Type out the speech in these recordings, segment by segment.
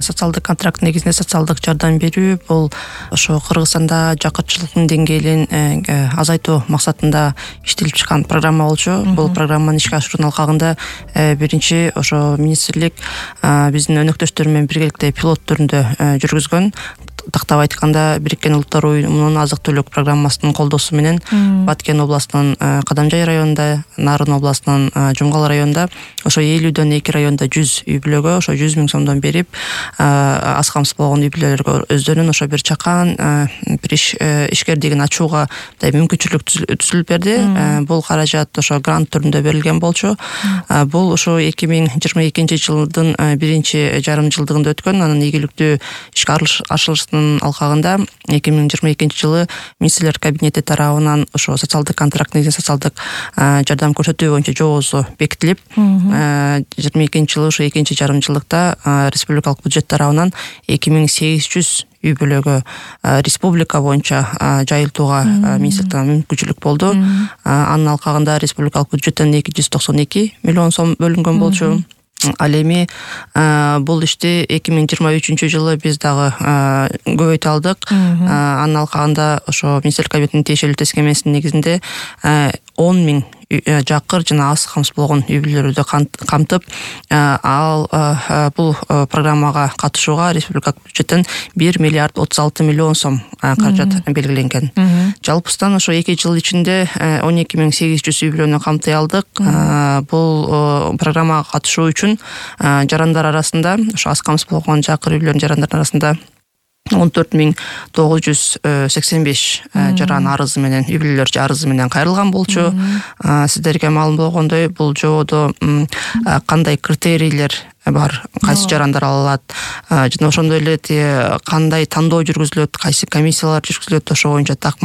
социалдык контракт негизинде социалдык жардам берүү бул ошо Кыргызстанда жакырчылыктын деңгээлин азайтуу максатында иштелип чыккан программа болчу. Бул программаны ишке ашыруунун алкагында биринчи ошо министрлик биздин өнөктөштөр менен биргеликте пилот түрүндө жүргүзгөн. Тактап айтканда Бириккен Улуттар Уюмунун азык түлүк программасынын колдоосу менен Баткен областынын Кадамжай районунда, Нарын областынын Жумгал районунда ошо 52 районда 100 үй бүлөгө ошо 100 000 сомдон берип, аз камсыз болгон үй бүлөлөргө өздөрүнүн ошо бир чакан бир ишкердигин ачууга мүмкүнчүлүк түзүлүп берди. Бул каражат ошо грант түрүндө берилген болчу. Бул ошо 2022 жылдын биринчи жарым жылдыгында өткөн. Анын ийгиликтүү ишке ашырылышынын алкагында 2022 жылы министрлер кабинети тарабынан ошо социалдык контракт негизинде социалдык жардам көрсөтүү боюнча жобосу бекитилип, 22 жылы ошо экинчи жарым жылдыкта республикалык бюджет тарабынан 2800 үй бүлөгө республика боюнча жайылтууга министрликтен мүмкүнчүлүк болду. Анын алкагында республикалык бюджеттен 292 миллион сом бөлүнгөн болчу. Ал эми бул ишти 2023 жылы биз дагы көбөйтө алдык. Анын алкагында ошо министрлик кабинетинин тиешелүү тескемесинин негизинде 10 000 жакыр жана аз камсыз болгон үй бүлөлөрдү камтып, ал бул программага катышууга республикалык бюджеттен 1 миллиард 36 миллион сом каражат белгиленген. Жалпысынан ошо 2 жыл ичинде 12 800 үй бүлөнү камтай алдык. Бул программага катышуу үчүн жарандар арасында, ошо аз камсыз болгон жакыр үй бүлөнүн жарандары арасында 14 985 жаран арызы менен, үй бүлөлөр арызы менен кайрылган болчу. Сиздерге маалым болгондой, бул жободо кандай критерийлер бар, кайсы жарандар ала алат, жана ошондой эле кандай тандоо жүргүзүлөт, кайсы комиссиялар жүргүзүлөт, ошо боюнча так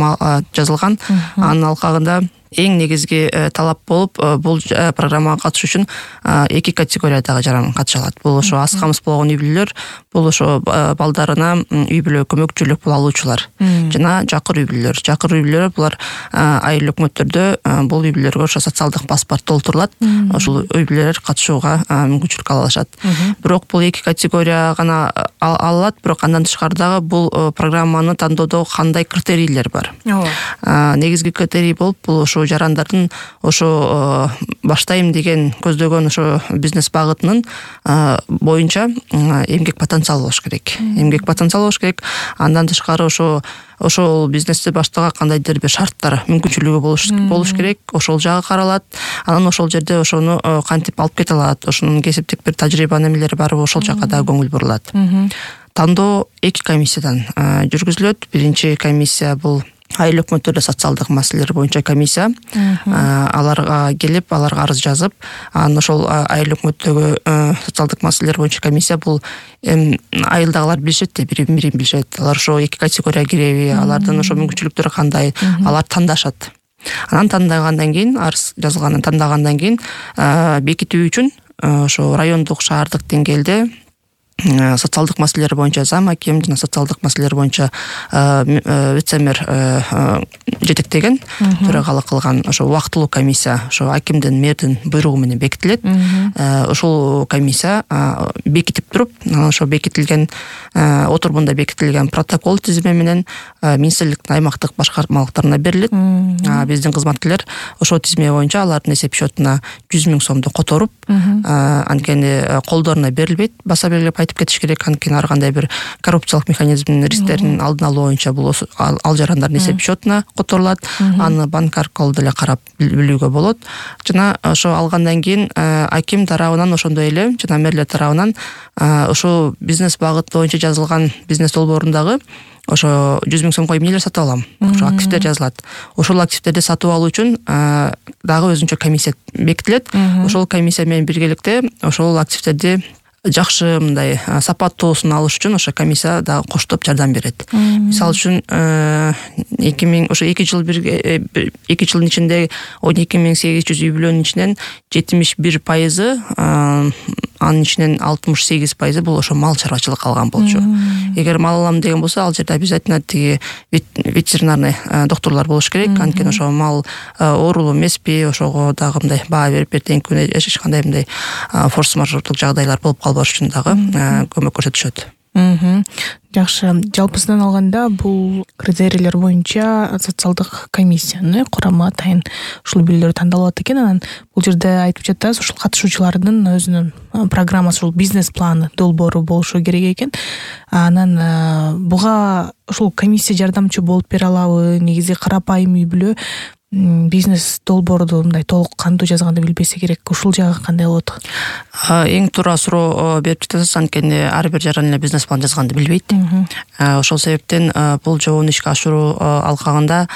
жазылган. Анын алкагында эң негизги талап болуп, бул программага катышуу үчүн 2 категориядагы жаран катыша алат. Бул ошо аз камсыз болгон үй бүлөлөр, бул ошо балдарына үй бүлө көмөкчүлүк бул алуучулар, жана жакыр үй бүлөлөр. Жакыр үй бүлөлөр булар айыл өкмөттөрдө бул үй бүлөлөргө ошо социалдык паспорт толтурулат. Ошол үй бүлөлөр катышууга мүмкүнчүлүк ала алышат. Бирок бул 2 категория гана ала алат, бирок андан тышкары дагы бул программаны тандоодо кандай критерийлер бар. Негизги критерий болуп, бул ошо жарандардын ошо баштайм деген көздөгөн ошо бизнес багытынын боюнча эмгек потенциалы болуш керек. Эмгек потенциалы болуш керек. Андан тышкары ошол бизнести баштаага кандайдыр бир шарттар, мүмкүнчүлүгү болуш керек. Ошол жагы каралат. Анан ошол жерде ошону кантип алып кете алат, ошонун кесиптик бир тажрыйба немелери барбы, ошол жакка да көңүл бурулат. Тандоо 2 комиссиядан жүргүзүлөт. Биринчи комиссия бул айыл өкмөттөрдө социалдык маселелер боюнча комиссия. Аларга келип, аларга арыз жазып, анан ошол айыл өкмөттөгү социалдык маселелер боюнча комиссия бул айылдагылар билишет да, бирин билишет. Алар ошо 2 категорияга киреби, алардын ошо мүмкүнчүлүктөрү кандай, алар тандашат. Анан тандагандан кийин, арыз жазылганын тандагандан кийин бекитүү үчүн ошо райондук, шаардык деңгээлде социалдык маселелер боюнча зам аким жана социалдык маселелер боюнча вице-мэр жетектеген, төрагалык кылган ошо убактылуу комиссия ошо акимдин, мэрдин буйругу менен бекитилет. Ошол комиссия бекитип туруп, ошо бекитилген отурумунда бекитилген протокол тизими менен министрликтин аймактык башкармалыктарына берилет. Биздин кызматкерлер ошол тизме боюнча алардын эсеп счетуна 100 000 сомду которуп, анткени колдоруна берилбейт, баса белгилеп айтып кетиш керек. Анткени ар кандай бир коррупциялык механизмдин рисктерин алдын алуу боюнча бул ал жарандардын эсеп счетуна которулат. Аны банк аркылуу деле карап билүүгө болот. Жана ошо алгандан кийин аким тарабынан ошондой эле жана мэрлер тарабынан ошо бизнес багыт боюнча жазылган бизнес долбоорундагы ошо 100 000 сомго эмнелер сатып алам, ошо активдер жазылат. Ошол активдерди сатып алуу үчүн дагы өзүнчө комиссия бекитилет. Ошол комиссия менен биргеликте ошол активдерди жакшы мындай сапаттуусун алыш үчүн ошо комиссия дагы коштоп жардам берет. Мисалы үчүн 2 жылдын ичинде 12 800 үй бүлөнүн ичинен 71%, анын ичинен 68% бул ошо мал чарбачылык калган болчу. Эгер мал алам деген болсо, ал жерде обязательно тиги ветеринарный докторлор болуш керек. Анткени ошо мал оорулуу эмеспи, ошого дагы мындай баа берип эртеңки күнү эч кандай мындай форс-мажордук жагдайлар болуп калбаш үчүн дагы көмөк көрсөтүшөт. Жакшы. Жалпысынан алганда бул критерийлер боюнча социалдык комиссиянын курамы атайын ушул бирлер тандалып экен. Анан бул жерде айтып жатасыз, ушул катышуучулардын өзүнүн программасы, ушул бизнес планы, долбоору болушу керек экен. Анан буга ушул комиссия жардамчы болуп бере алабы? Негизи карапайым үй бүлө бизнес долбоорду мындай толук кандуу жазганды билбесе керек. Ушул жагы кандай болот? Эң туура суроо берип жатасыз, анткени ар бир жаран эле бизнес план жазганды билбейт. Ошол себептен бул жобону ишке ашыруу алкагында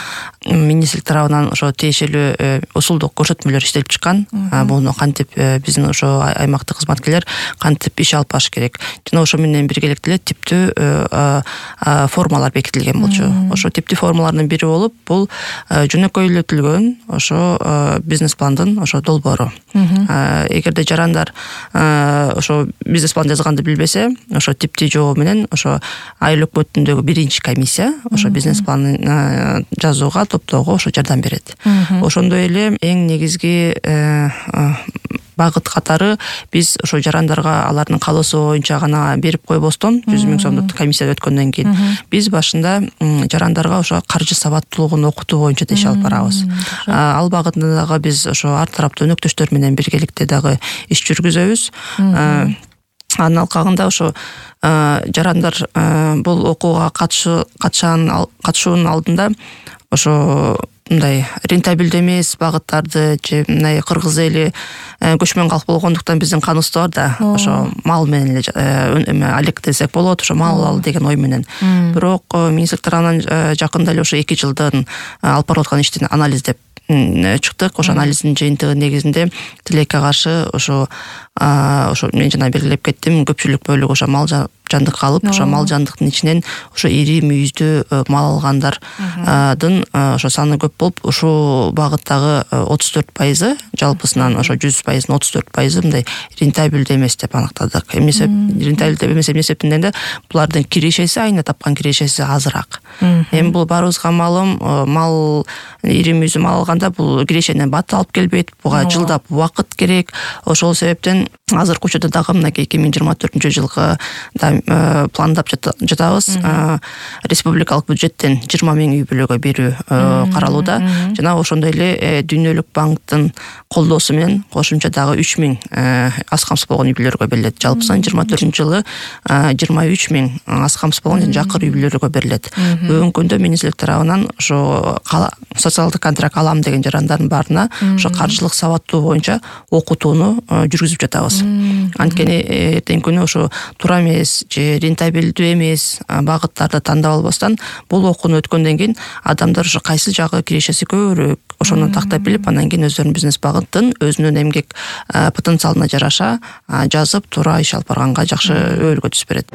министрлик тарабынан ошо тиешелүү усулдук көрсөтмөлөр иштелип чыккан. Буну кантип биздин ошо аймактык кызматкерлер кантип иш алып барыш керек. Жана ошо менен биргеликте эле типтүү формалар бекитилген болчу. Ошо типтүү формалардын бири болуп, бул жөнөкөйлөтүлгөн ошо бизнес пландын ошо долбоору. Эгерде жарандар ошо бизнес план жазганды билбесе, ошо типтүү жобо менен ошо айыл өкмөтүндөгү биринчи комиссия ошо бизнес планын жазууга, топтоого ошо жардам берет. Ошондой эле эң негизги багыт катары биз ошо жарандарга алардын каалоосу боюнча гана берип койбостон 100 000 сомдук комиссия өткөндөн кийин биз башында жарандарга ошо каржы сабаттуулугун окутуу боюнча да иш алып барабыз. Ал багытында дагы биз ошо ар тараптуу өнөктөштөр менен биргеликте дагы иш жүргүзөбүз. Анын алкагында ошо жарандар бул окууга катышуунун алдында ошо мындай рентабелдүү эмес багыттарды же мындай кыргыз эли көчмөн калк болгондуктан биздин каныбызда бар да, ошо мал менен эле алектесек болот, ошо мал ал деген ой менен. Бирок министрлик тарабынан жакында эле ошо 2 жылдан алып барып аткан иштин анализдеп чыктык. Ошо анализдин жыйынтыгы негизинде тилекке каршы ошо мен жана белгилеп кеттим, көпчүлүк бөлүгү ошо мал жандык калып, ошо мал жандыктын ичинен ошо ири мүйүздүү мал алгандардын ошо саны көп болуп, ушул багыттагы 34% жалпысынан ошо 100%-ын 34% мындай рентабелдүү эмес деп аныктадык. Рентабелдүү эмес эмне себептен булардын кирешеси, айына тапкан кирешеси азыраак. Эми бул баарыбызга маалым, мал ири мүйүздүү мал алганда бул кирешенен бат алып келбейт, буга жылдап убакыт керек. Ошол себептен азыркы учурда дагы мынакей 2024-жылгы пландап жатабыз. Республикалык бюджеттен 20 000 үй бүлөгө берүү каралууда. Жана ошондой эле Дүйнөлүк банктын колдоосу менен кошумча дагы 3 000 аз камсыз болгон үй бүлөлөргө берилет. Жалпысынан 24-жылы 23 000 аз камсыз болгон жана жакыр үй бүлөлөргө берилет. Бүгүнкү күндө министрлик тарабынан ошо социалдык контракт алам деген жарандардын баарына ошо каржылык сабаттуу боюнча окутууну жүргүзүп жатабыз. Анткени эртеңки күнү ошо туура эмес же рентабелдүү эмес багыттарды тандап албастан бул окууну өткөндөн кийин адамдар ошо кайсы жагы кирешеси көбүрөөк ошону тактап билип, андан кийин өздөрүнүн бизнес багытын өзүнүн эмгек потенциалына жараша жазып туура иш алып барганга жакшы өбөлгө түзүп берет.